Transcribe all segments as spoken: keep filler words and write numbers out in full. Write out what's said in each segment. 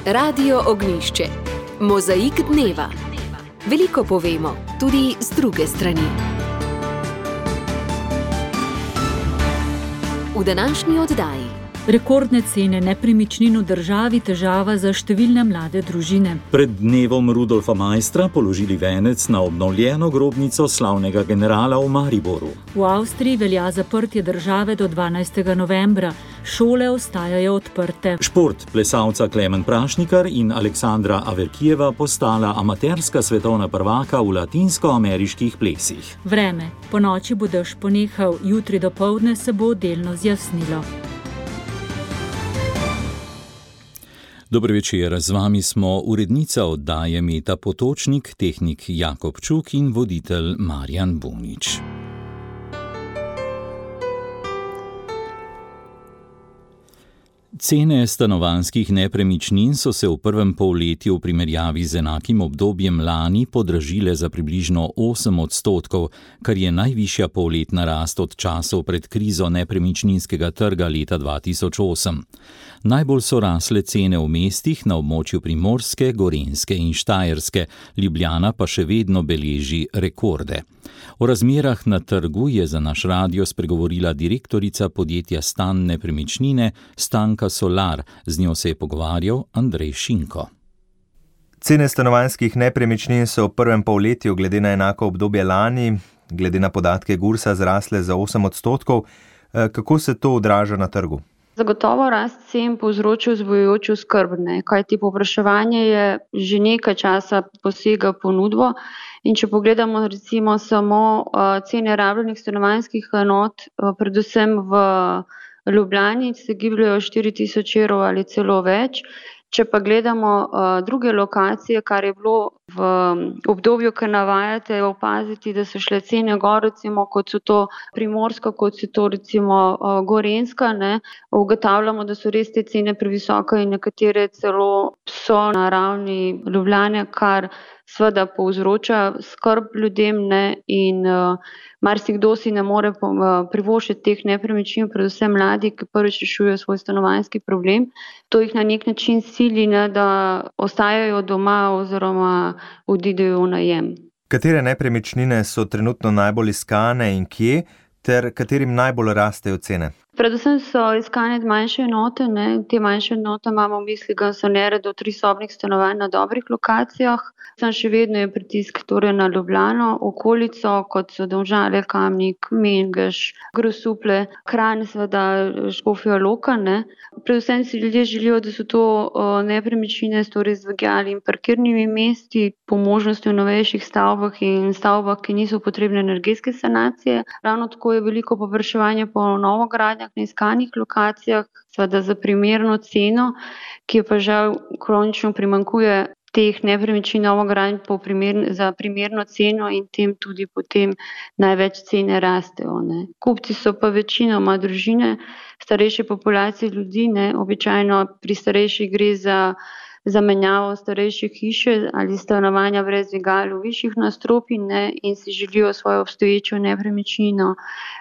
Radio Ognjišče. Mozaik dneva. Veliko povemo, tudi z druge strani. V današnji oddaji. Rekordne cene nepremičnin v državi, težava za številne mlade družine. Pred dnevom Rudolfa Maistra položili venec na obnovljeno grobnico slavnega generala v Mariboru. V Avstriji velja zaprtje države do dvanajstega novembra. Šole ostajajo odprte. Šport. Plesalca Klemen Prašnikar in Aleksandra Averkijeva postala amaterska svetovna prvaka v latinskoameriških plesih. Vreme. Po noči bo dež ponehal, jutri dopoldne se bo delno zjasnilo. Dober večer, z vami smo urednica oddaje Meta Potočnik, tehnik Jakob Čuk in voditelj Marjan Bunič. Cene stanovanjskih nepremičnin so se v prvem polletju v primerjavi z enakim obdobjem lani podražile za približno osem odstotkov, kar je najvišja polletna rast od časov pred krizo nepremičninskega trga leta dva tisoč osem. Najbolj so rasle cene v mestih na območju Primorske, Gorenjske in Štajerske, Ljubljana pa še vedno beleži rekorde. O razmerah na trgu je za naš radio spregovorila direktorica podjetja Stan Nepremičnine Stanka Solar, z njo se je pogovarjal Andrej Šinko. Cene stanovanjskih nepremičnin so v prvem polletju glede na enako obdobje lani, glede na podatke Gursa, zrasle za osem odstotkov. Kako se to odraža na trgu? Zagotovo rast cen povzročil vzbujajočo skrb, kajti povpraševanje je že nekaj časa posega ponudbo. In če pogledamo recimo samo cene rabljenih stanovanjskih enot, predvsem v Ljubljani, se gibljajo štiri tisoč evrov ali celo več. Če pa gledamo uh, druge lokacije, kar je bilo v obdobju, ki navajate, opaziti, da so šle cene gor, recimo kot so to Primorska, kot so to recimo uh, Gorenjska, ne, ugotavljamo, da so res te cene previsoke in nekatere celo so na ravni Ljubljane, kar seveda povzroča skrb ljudem, ne, in uh, marsikdo si ne more privoščiti teh nepremičnin, predvsem mladi, ki prvič rešujejo svoj stanovanjski problem. To jih na nek način sili, ne, da ostajajo doma oziroma odidejo v najem. Katere nepremičnine so trenutno najbolj iskane in kje, ter katerim najbolj rastejo cene? Predvsem so iskane manjše enote, ne. Te manjše enote imamo v misli garsonjere do trisobnih stanovanj na dobrih lokacijah. Sam še vedno je pritisk torej na Ljubljano, okolico, kot so Domžale, Kamnik, Mengeš, Grosuplje, Kranj, seveda Škofja Loka, ne. Predvsem si ljudje želijo, da so to nepremičnine torej z dvigali in parkirnimi mesti, po možnosti v novejših stavbah in stavbah, ki niso potrebne energetske sanacije. Ravno tako je veliko povpraševanje po novogradnjah na iskanih lokacijah, seveda za primerno ceno, ki je pa žal kronično primanjkuje teh nepremičnin novogradnj po primer, za primerno ceno in tem tudi potem največ cene rastejo. Ne. Kupci so pa večinoma družine, starejše populacije ljudi, ne. Običajno pri starejših gre za zamenjavo starejše hiše ali stanovanja brez dvigal v višjih nadstropjih, ne, in si želijo svojo obstoječo nepremičnino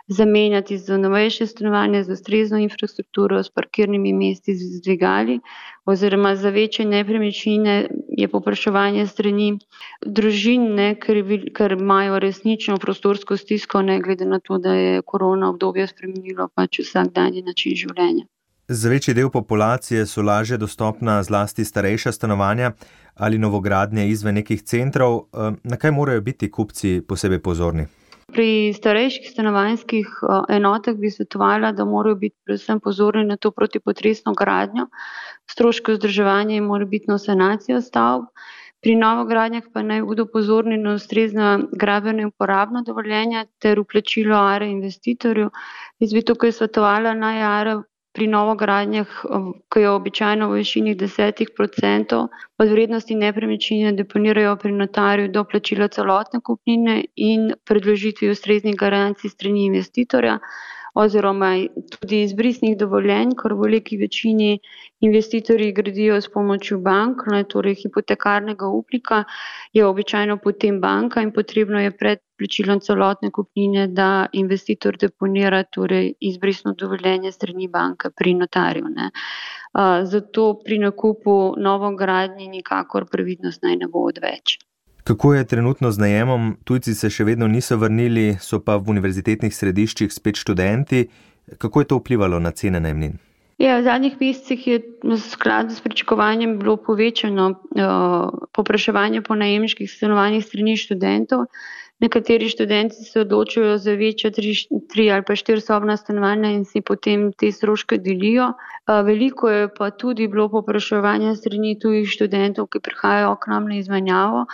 zamenjati za novejše stanovanje, z ustrezno infrastrukturo, s parkirnimi mesti, z dvigali, oziroma za večje nepremičnine je povpraševanje strani družin, ne, ker, ker imajo resnično prostorsko stisko, ne glede na to, da je korona obdobje spremenilo pač vsakdanji način življenja. Za večji del populacije so lažje dostopna zlasti starejša stanovanja ali novogradnje izven nekih centrov. Na kaj morajo biti kupci posebej pozorni? Pri starejših stanovanjskih enotah bi svetovala, da morajo biti predvsem pozorni na to protipotresno gradnjo, stroške vzdrževanja in morebitno sanacijo stavb. Pri novogradnjah pa naj bodo pozorni na ustrezna gradbena in uporabna dovoljenja ter vplačilo A R E investitorju. Jaz bi tukaj svetovala naj A R E pri novogradnjah, ki je običajno v višini deset procentov od vrednosti nepremičnine, deponirajo pri notarju do plačila celotne kupnine in predložitvi ustreznih garancij strani investitorja. oziroma tudi izbrisnih dovoljenj, ker v veliki večini investitorji gradijo s pomočjo bank, ne, torej hipotekarnega upnika je običajno potem banka in potrebno je pred plačilom celotne kupnine, da investitor deponira torej izbrisno dovoljenje strani banke pri notarju. Ne. Uh, zato pri nakupu novogradnji nikakor previdnost naj ne bo odveč. Kako je trenutno z najemom? Tujci se še vedno niso vrnili, so pa v univerzitetnih središčih spet študenti. Kako je to vplivalo na cene najemnin? Ja, v zadnjih mesecih je v skladu s pričakovanjem bilo povečano uh, povpraševanje po najemniških stanovanjih strani študentov. Nekateri študenti se odločajo za večja tri, tri ali pa štirisobna stanovanja in si potem te stroške delijo. Uh, veliko je pa tudi bilo povpraševanja strani tujih študentov, ki prihajajo k nam na izmenjavo.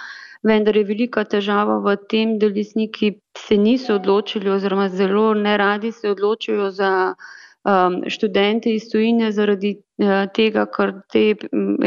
Vendar je velika težava v tem, da lastniki se niso odločili oziroma zelo neradi se odločijo za um, študente iz tujine zaradi uh, tega, ker te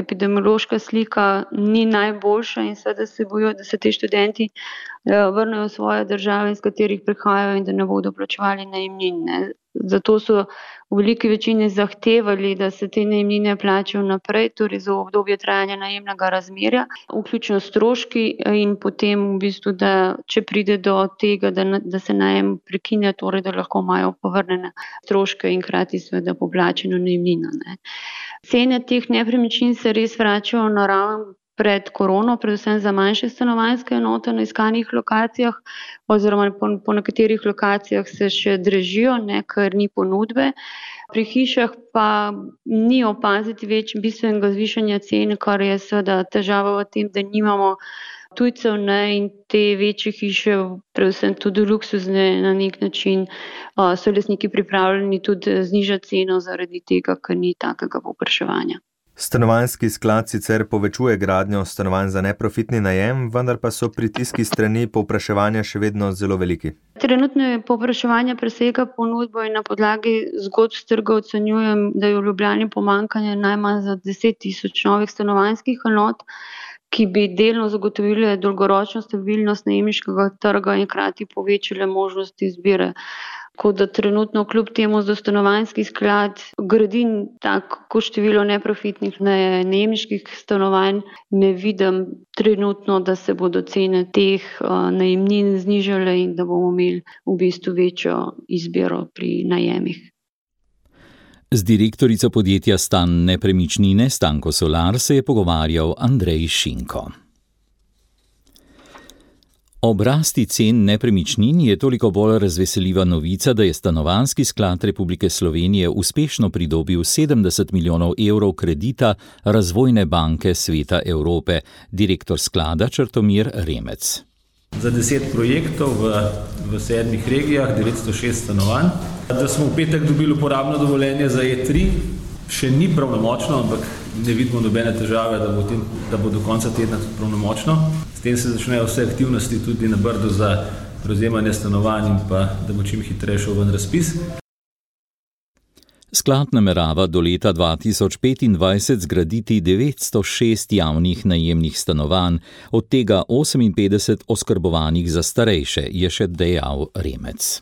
epidemiološka slika ni najboljša in seveda se bojijo, da se te študenti uh, vrnejo v svoje države, iz katerih prihajajo in da ne bodo plačevali najemnin. Ne. Zato so v veliki večini zahtevali, da se te najemnine plačajo naprej, torej za obdobje trajanja najemnega razmerja, vključno stroški in potem v bistvu, da če pride do tega, da, da se najem prekine, torej da lahko imajo povrnjene stroške in hkrati seveda poplačeno najemnino. Ne. Cene teh nepremičnin se res vračajo na raven pred korono, predvsem za manjše stanovanjske enote na iskanih lokacijah oziroma po, po nekaterih lokacijah se še dražijo, ne, ker ni ponudbe. Pri hišah pa ni opaziti več bistvenega zvišanja cen, kar je seveda težava v tem, da nimamo tujcev, ne, in te večje hiše, predvsem tudi luksuzne na nek način, so lastniki pripravljeni tudi znižati ceno zaradi tega, ker ni takega povpraševanja. Stanovanjski sklad sicer povečuje gradnjo stanovanj za neprofitni najem, vendar pa so pritiski strani povpraševanja še vedno zelo veliki. Trenutno je povpraševanje presega ponudbo in na podlagi zgodb s trga ocenjujem, da je v Ljubljani pomanjkanje najmanj za deset tisoč novih stanovanjskih enot, ki bi delno zagotovile dolgoročno stabilnost najemniškega trga in hkrati povečale možnosti izbire. Tako da trenutno kljub temu za stanovanjski sklad gradi tako število neprofitnih najemniških stanovanj, ne vidim trenutno, da se bodo cene teh najemnin znižale in da bomo imeli v bistvu večjo izbiro pri najemih. Z direktorico podjetja Stan Nepremičnine Stanko Solar se je pogovarjal Andrej Šinko. Ob rasti cen nepremičnin je toliko bolj razveseljiva novica, da je Stanovanjski sklad Republike Slovenije uspešno pridobil sedemdeset milijonov evrov kredita Razvojne banke Sveta Evrope, direktor sklada Črtomir Remec. Za deset projektov v, v sedmih regijah, devetsto šest stanovanj. Da smo v petek dobili uporabno dovoljenje za E tri, še ni pravnomočno, ampak ne vidimo nobene težave, da bo, tem, da bo do konca tedna tudi pravnomočno. S tem se začnejo vse aktivnosti tudi na Brdu za prevzemanje stanovanj in pa da bo čim hitreje šel ven razpis. Sklad namerava do leta dva tisoč petindvajset zgraditi devetsto šest javnih najemnih stanovanj, od tega oseminpetdeset oskrbovanih za starejše, je še dejal Remec.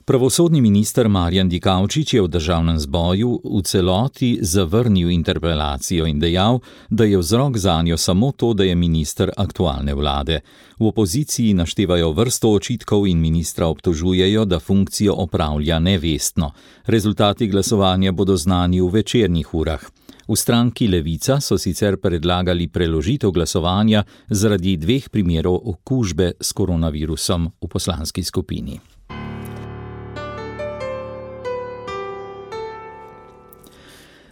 Pravosodni minister Marjan Dikaučič je v državnem zboru v celoti zavrnil interpelacijo in dejal, da je vzrok zanjo samo to, da je minister aktualne vlade. V opoziciji naštevajo vrsto očitkov in ministra obtožujejo, da funkcijo opravlja nevestno. Rezultati glasovanja bodo znani v večernih urah. V stranki Levica so sicer predlagali preložitev glasovanja zaradi dveh primerov okužbe s koronavirusom v poslanski skupini.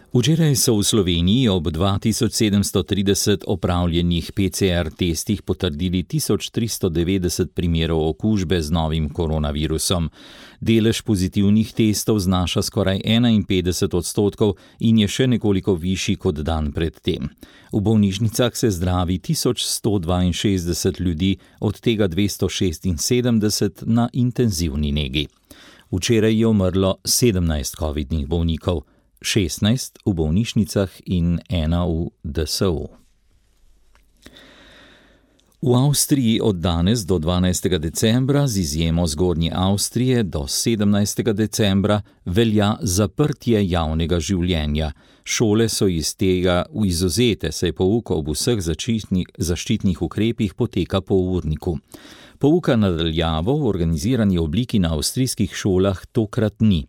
Včeraj so v Sloveniji ob dva tisoč sedemsto trideset opravljenih P C R testih potrdili tisoč tristo devetdeset primerov okužbe z novim koronavirusom. Delež pozitivnih testov znaša skoraj enainpetdeset odstotkov in je še nekoliko višji kot dan pred tem. V bolnišnicah se zdravi tisoč sto dvainšestdeset ljudi, od tega dvesto šestinsedemdeset na intenzivni negi. Včeraj je umrlo sedemnajst covidnih bolnikov. šestnajst v bolnišnicah in ena v D S U. V Avstriji od danes do dvanajstega decembra, z izjemo Zgornje Avstrije, do sedemnajstega decembra velja zaprtje javnega življenja. Šole so iz tega izvzete, saj pouk ob vseh zaščitnih ukrepih poteka po urniku. Pouka na daljavo v organizirani obliki na avstrijskih šolah tokrat ni.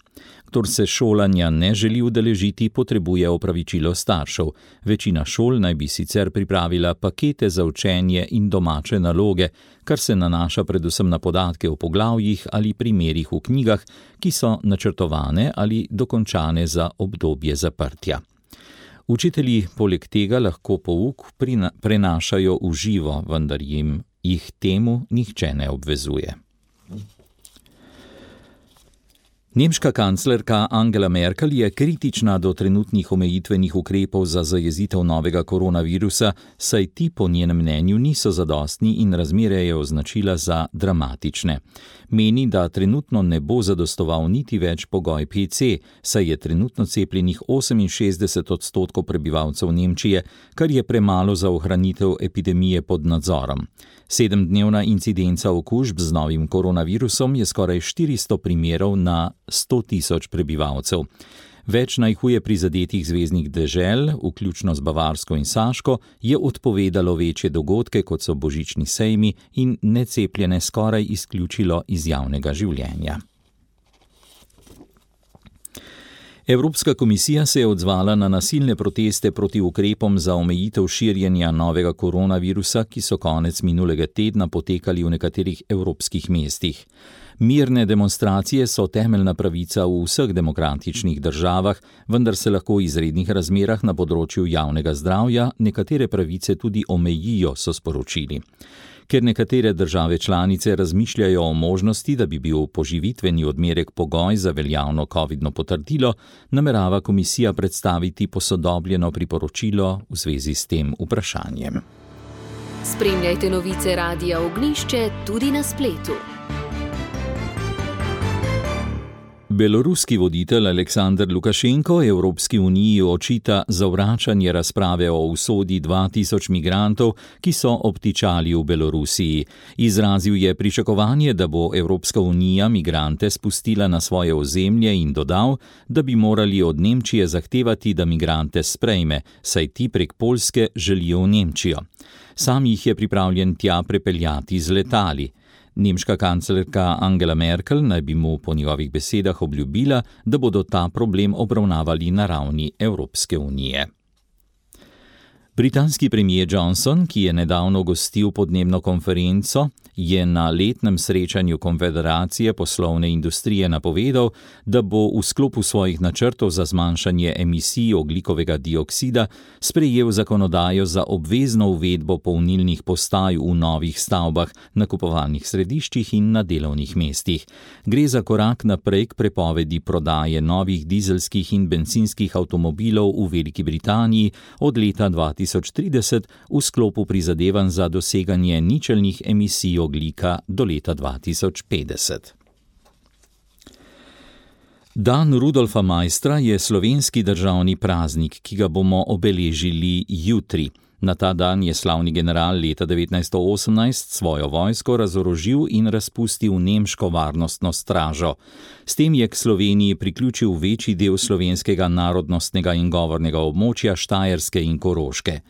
Kdor se šolanja ne želi udeležiti, potrebuje opravičilo staršev. Večina šol naj bi sicer pripravila pakete za učenje in domače naloge, kar se nanaša predvsem na podatke o poglavjih ali primerih v knjigah, ki so načrtovane ali dokončane za obdobje zaprtja. Učitelji poleg tega lahko pouk prenašajo v živo, vendar jim jih temu nihče ne obvezuje. Nemška kanclerka Angela Merkel je kritična do trenutnih omejitvenih ukrepov za zajezitev novega koronavirusa, saj ti po njenem mnenju niso zadostni in razmere je označila za dramatične. Meni, da trenutno ne bo zadostoval niti več pogoj P C, saj je trenutno cepljenih oseminšestdeset odstotkov prebivalcev Nemčije, kar je premalo za ohranitev epidemije pod nadzorom. Sedemdnevna incidenca okužb z novim koronavirusom je skoraj štiristo primerov na sto tisoč prebivalcev. Več najhuje prizadetih zveznih dežel, vključno z Bavarsko in Saško, je odpovedalo večje dogodke, kot so božični sejmi, in necepljene skoraj izključilo iz javnega življenja. Evropska komisija se je odzvala na nasilne proteste proti ukrepom za omejitev širjenja novega koronavirusa, ki so konec minulega tedna potekali v nekaterih evropskih mestih. Mirne demonstracije so temeljna pravica v vseh demokratičnih državah, vendar se lahko v izrednih razmerah na področju javnega zdravja nekatere pravice tudi omejijo, so sporočili. Ker nekatere države članice razmišljajo o možnosti, da bi bil poživitveni odmerek pogoj za veljavno covidno potrdilo, namerava komisija predstaviti posodobljeno priporočilo v zvezi s tem vprašanjem. Spremljajte novice Radia Ognjišče tudi na spletu. Beloruski voditelj Aleksandr Lukašenko Evropski uniji očita zavračanje razprave o usodi dva tisoč migrantov, ki so obtičali v Belorusiji. Izrazil je pričakovanje, da bo Evropska unija migrante spustila na svoje ozemlje in dodal, da bi morali od Nemčije zahtevati, da migrante sprejme, saj ti prek Poljske želijo v Nemčijo. Sam jih je pripravljen tja prepeljati z letali. Nemška kanclerka Angela Merkel naj bi mu po njegovih besedah obljubila, da bodo ta problem obravnavali na ravni Evropske unije. Britanski premier Johnson, ki je nedavno gostil podnebno konferenco, je na letnem srečanju Konfederacije poslovne industrije napovedal, da bo v sklopu svojih načrtov za zmanjšanje emisij ogljikovega dioksida sprejel zakonodajo za obvezno uvedbo polnilnih postaj v novih stavbah, nakupovalnih središčih in na delovnih mestih. Gre za korak naprej k prepovedi prodaje novih dizelskih in bencinskih avtomobilov v Veliki Britaniji od leta dva tisoč trideset v sklopu prizadevanj za doseganje ničelnih emisij ogljika do leta dva tisoč petdeset. Dan Rudolfa Maistra je slovenski državni praznik, ki ga bomo obeležili jutri. Na ta dan je slavni general leta devetnajststo osemnajst svojo vojsko razorožil in razpustil nemško varnostno stražo. S tem je k Sloveniji priključil večji del slovenskega narodnostnega in govornega območja Štajerske in Koroške.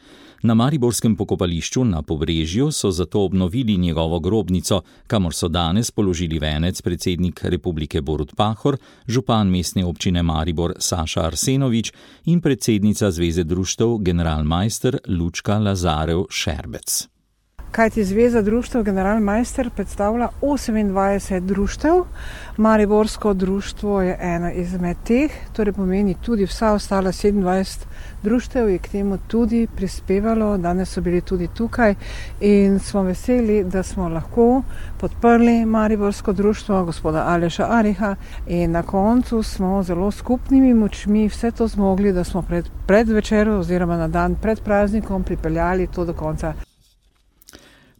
Na mariborskem pokopališču na Pobrežju so zato obnovili njegovo grobnico, kamor so danes položili venec predsednik Republike Borut Pahor, župan mestne občine Maribor Saša Arsenovič in predsednica Zveze društev Generalmajster Lučka Lazarev Šerbec. Kajti Zveza društev Generalmajster predstavlja osemindvajset društev, Mariborsko društvo je eno izmed teh, torej pomeni tudi vsa ostala sedemindvajset društev je k temu tudi prispevalo, danes so bili tudi tukaj in smo veseli, da smo lahko podprli Mariborsko društvo gospoda Aleša Ariha in na koncu smo zelo skupnimi močmi vse to zmogli, da smo pred, pred večerom oziroma na dan pred praznikom pripeljali to do konca.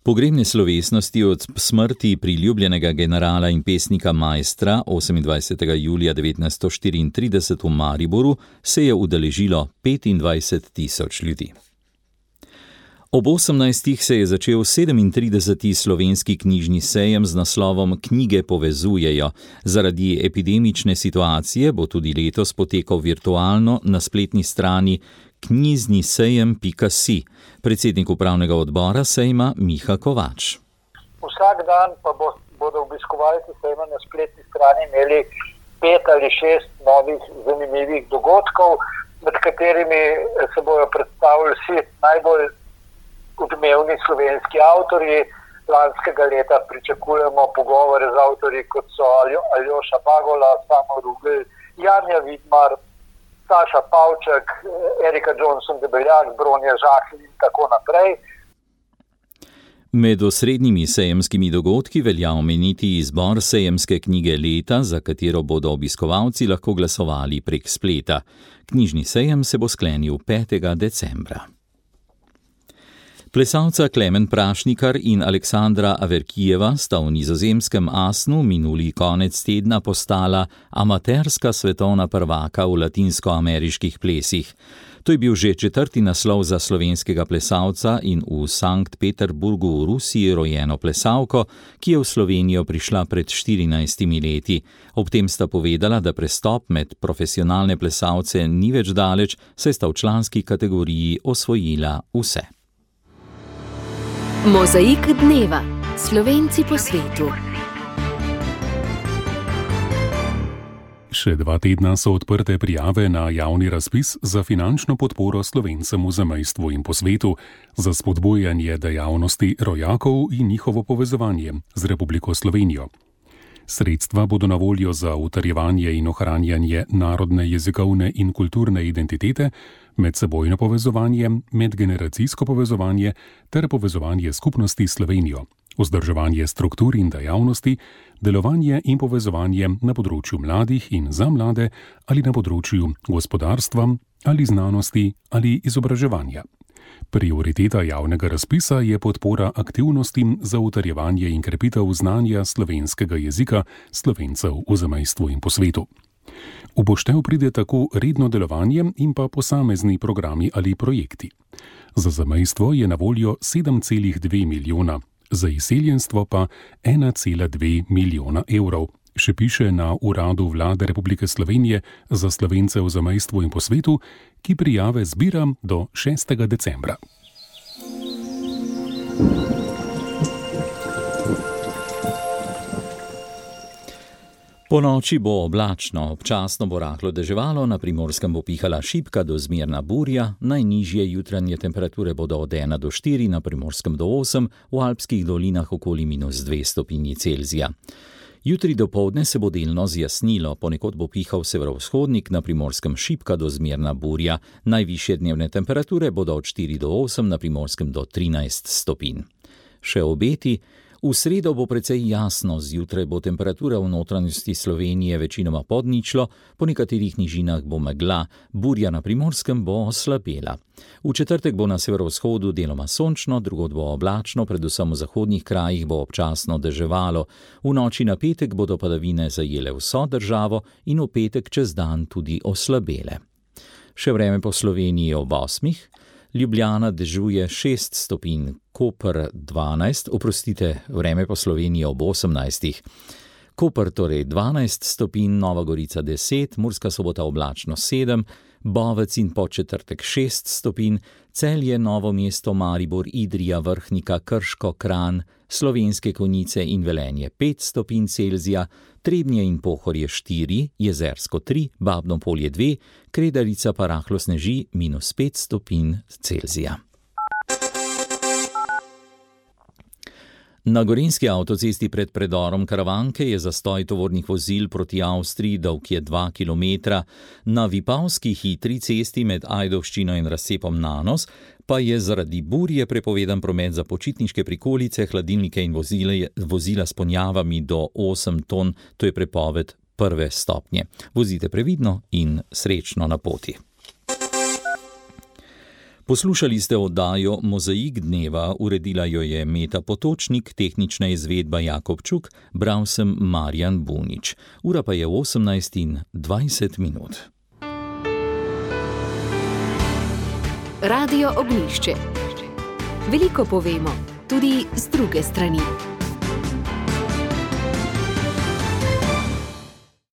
Pogrebne slovesnosti od smrti priljubljenega generala in pesnika Maistra osemindvajsetega julija devetnajststo štiriintrideset v Mariboru se je udeležilo petindvajset tisoč ljudi. Ob osemnajstih se je začel sedemintrideseti slovenski knjižni sejem z naslovom Knjige povezujejo. Zaradi epidemične situacije bo tudi letos potekal virtualno na spletni strani knjizni sejem pika si. Predsednik upravnega odbora sejma Miha Kovač. Vsak dan pa bo, bodo obiskovalci sejma na spletni strani imeli pet ali šest novih zanimivih dogodkov, med katerimi se bodo predstavili vsi najbolj odmevni slovenski avtorji. Lanskega leta pričakujemo pogovore z avtorji, kot so Aljoša Bagola, Samo Rugel, Janja Vidmar, Saša Pavček, Erika Johnson-Debeljak, Bronja Žakelj in tako naprej. Med osrednjimi sejemskimi dogodki velja omeniti izbor sejemske knjige leta, za katero bodo obiskovalci lahko glasovali prek spleta. Knjižni sejem se bo sklenil petega decembra. Plesalca Klemen Prašnikar in Aleksandra Averkijeva sta v nizozemskem Asnu minuli konec tedna postala amaterska svetovna prvaka v latinskoameriških plesih. To je bil že četrti naslov za slovenskega plesalca in v Sankt Peterburgu v Rusiji rojeno plesalko, ki je v Slovenijo prišla pred štirinajstimi leti. Ob tem sta povedala, da prestop med profesionalne plesalce ni več daleč, saj sta v članski kategoriji osvojila vse. Mozaik dneva. Slovenci po svetu. Še dva tedna so odprte prijave na javni razpis za finančno podporo Slovencem v zamejstvu in po svetu za spodbujanje dejavnosti rojakov in njihovo povezovanje z Republiko Slovenijo. Sredstva bodo na voljo za utrjevanje in ohranjanje narodne, jezikovne in kulturne identitete, medsebojno povezovanje, medgeneracijsko povezovanje ter povezovanje skupnosti s Slovenijo, vzdrževanje struktur in dejavnosti, delovanje in povezovanje na področju mladih in za mlade ali na področju gospodarstva ali znanosti ali izobraževanja. Prioriteta javnega razpisa je podpora aktivnostim za utrjevanje in krepitev znanja slovenskega jezika Slovencev v zamejstvu in po svetu. V poštev pride tako redno delovanje in pa posamezni programi ali projekti. Za zamejstvo je na voljo sedem celih dve milijona, za izseljenstvo pa ena cela dve milijona evrov, še piše na Uradu Vlade Republike Slovenije za Slovence v zamejstvu in po svetu, ki prijave zbira do šestega decembra. Po noči bo oblačno, občasno bo rahlo deževalo, na Primorskem bo pihala šibka do zmerna burja, najnižje jutranje temperature bodo od ena do štiri, na Primorskem do osem, v alpskih dolinah okoli minus dve stopinji Celzija. Jutri dopoldne se bo delno zjasnilo, ponekod bo pihal severovzhodnik, na Primorskem šibka do zmerna burja, najvišje dnevne temperature bodo od štiri do osem, na Primorskem do trinajst stopinj. Še obeti. V sredo bo precej jasno, zjutraj bo temperatura v notranjosti Slovenije večinoma pod ničlo, po nekaterih nižinah bo megla, burja na Primorskem bo oslabela. V četrtek bo na severovzhodu deloma sončno, drugod bo oblačno, predvsem v zahodnih krajih bo občasno deževalo. V noči na petek bodo padavine zajele vso državo in v petek čez dan tudi oslabele. Še vreme po Sloveniji ob osmih. Ljubljana dežuje šest stopinj, Koper dvanajst, oprostite, vreme po Sloveniji ob osemnajstih. Koper torej dvanajst stopinj, Nova Gorica deset, Murska Sobota oblačno sedem, Bovec in Podčetrtek šest stopinj, Celje, Novo mesto, Maribor, Idrija, Vrhnika, Krško, Kranj, Slovenske Konjice in Velenje pet stopinj Celzija, Trebnje in Pohorje štiri, Jezersko tri, Babno Polje dve, Kredarica pa rahlo sneži minus pet stopinj Celzija. Na gorenjski avtocesti pred predorom Karavanke je zastoj tovornih vozil proti Avstriji, dolg je dva kilometra. Na Vipavski hitri cesti med Ajdovščino in razcepom Nanos pa je zaradi burje prepovedan promet za počitniške prikolice, hladilnike in vozila, vozila s ponjavami do osem ton, to je prepoved prve stopnje. Vozite previdno in srečno na poti. Poslušali ste oddajo Mozaik dneva, uredila jo je Meta Potočnik, tehnična izvedba Jakob Čuk, bral sem Marjan Bunič. Ura pa je osemnajst in dvajset minut. Radio Ognjišče. Veliko povemo, tudi z druge strani.